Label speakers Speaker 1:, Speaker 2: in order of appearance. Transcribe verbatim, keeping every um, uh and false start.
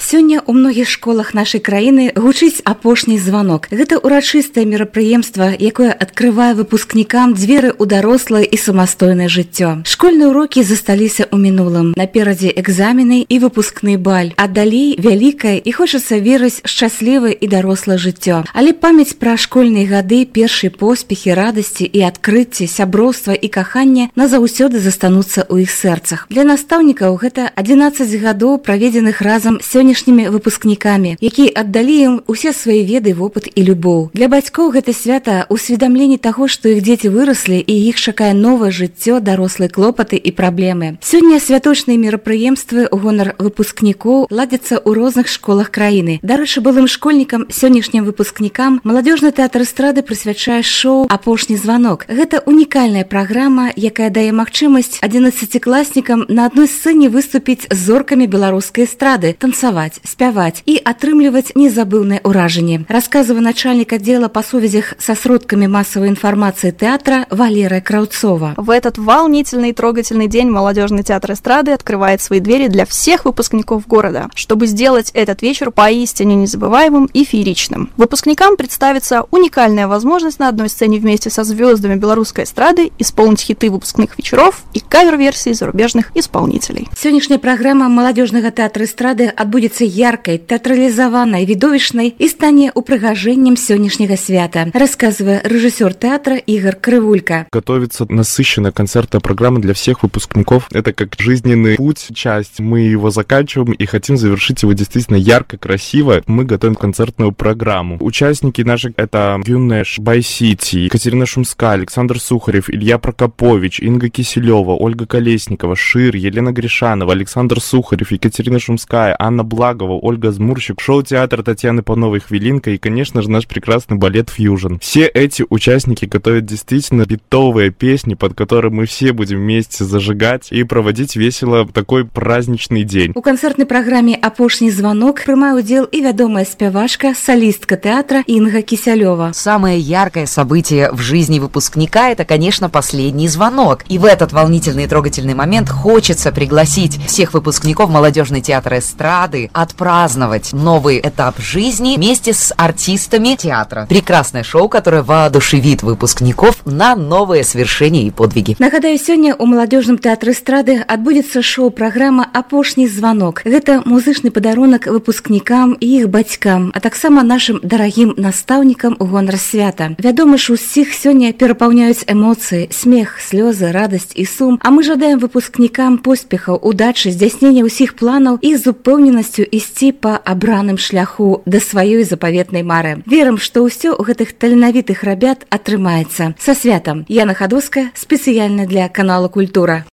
Speaker 1: Сёння ў многіх школах нашай краіны гучыць апошні званок. Гэта урачыстае мерапрыемства, якое адкрывае выпускнікам дзверы ў дарослае і самастойнае жыццё. Школьныя урокі засталіся ў мінулым. Наперадзе экзамены і выпускны баль. А далей вялікае і хочацца верыць шчаслівае і дарослае жыццё. Але памяць пра школьныя гады, першыя поспехі, радасці і адкрыцці, сяброўства і каханне назаўсёды застануцца ў іх сэрцах. Для настаўнікаў гэта адзінаццаць гадоў, праведзеных разам з сённяшнімі выпускнікамі, якія аддалі ім усе свае веды, вопыт і любоў. Для бацькоў гэта свята ўсведамленне таго, што іх дзеці выраслі і іх чакае новае жыццё, дарослыя клопаты і праблемы. Сёння святочныя мерапрыемствы ў гонар выпускнікоў ладзяцца ў розных школах краіны. Дарэчы, былым школьнікам, сённяшнім выпускнікам маладзёжны тэатр эстрады прысвячае шоу «Апошні званок». Гэта унікальная праграма, якая дае магчымасць адзінаццацікласнікам на адной сцэне выступіць з зоркамі беларускай эстрады, танцаваць, спяваць і атрымліваць незабыўнае ўражанне. Расказвае начальник отдела по сувязях со сродками массовой информации театра Валерия Крауцова.
Speaker 2: В этот волнительный и трогательный день молодежный театр эстрады открывает свои двери для всех выпускников города, чтобы сделать этот вечер поистине незабываемым и фееричным. Выпускникам представится уникальная возможность на одной сцене вместе со звездами белорусской эстрады исполнить хиты выпускных вечеров и кавер-версии зарубежных исполнителей.
Speaker 1: Сегодняшняя программа молодежного театра эстрады отбудется яркой, театрализованной, видовищной и станет упрыгажением сегодняшнего свята, рассказывая режиссер театра Игорь Крывулько.
Speaker 3: Готовится насыщенная концертная программа для всех выпускников. Это как жизненный путь, часть. Мы его заканчиваем и хотим завершить его действительно ярко, красиво. Мы готовим концертную программу. Участники наши — это Юнеш, Бай-Сити, Екатерина Шумская, Александр Сухарев, Илья Прокопович, Инга Киселева, Ольга Колесникова, Шир, Елена Гришанова, Александр Сухарев, Екатерина Шумская, Анна Благова, Ольга Змурщик, шоу-театр Татьяны Пановой «Хвилинка» и, конечно же, наш прекрасный балет «Фьюжн». Все эти участники готовят действительно битовые песни, под которые мы все будем вместе зажигать и проводить весело такой праздничный день.
Speaker 1: У концертной программе «Апошний звонок» принимает удел и ведомая спевашка, солистка театра Инга Киселева.
Speaker 4: Самое яркое событие в жизни выпускника — это, конечно, последний звонок. И в этот волнительный и трогательный момент хочется пригласить всех выпускников молодежный театр эстрады отпраздновать новый этап жизни вместе с артистами театра. Прекрасное шоу, которое воодушевит выпускников на новые свершения и подвиги.
Speaker 1: Нагадаю, сегодня у молодежном театре эстрады отбудется шоу-программа «Апошний звонок». Это музычный подарунок выпускникам и их батькам, а так само нашим дорогим наставникам у гонар свята. Вядома ж, усіх сегодня перапаўняюць эмоции, смех, слезы, радость и сум, а мы жадаем выпускникам поспехаў, удачи, здзяйснення ўсіх планаў и з упэўненасцю ісці по абраным шляху до сваёй запаветнай мары. Верым, што ўсё у гэтых таленавітых рабят атрымаецца. Са святам! Яна Хадоўская, спецыяльна для канала «Культура».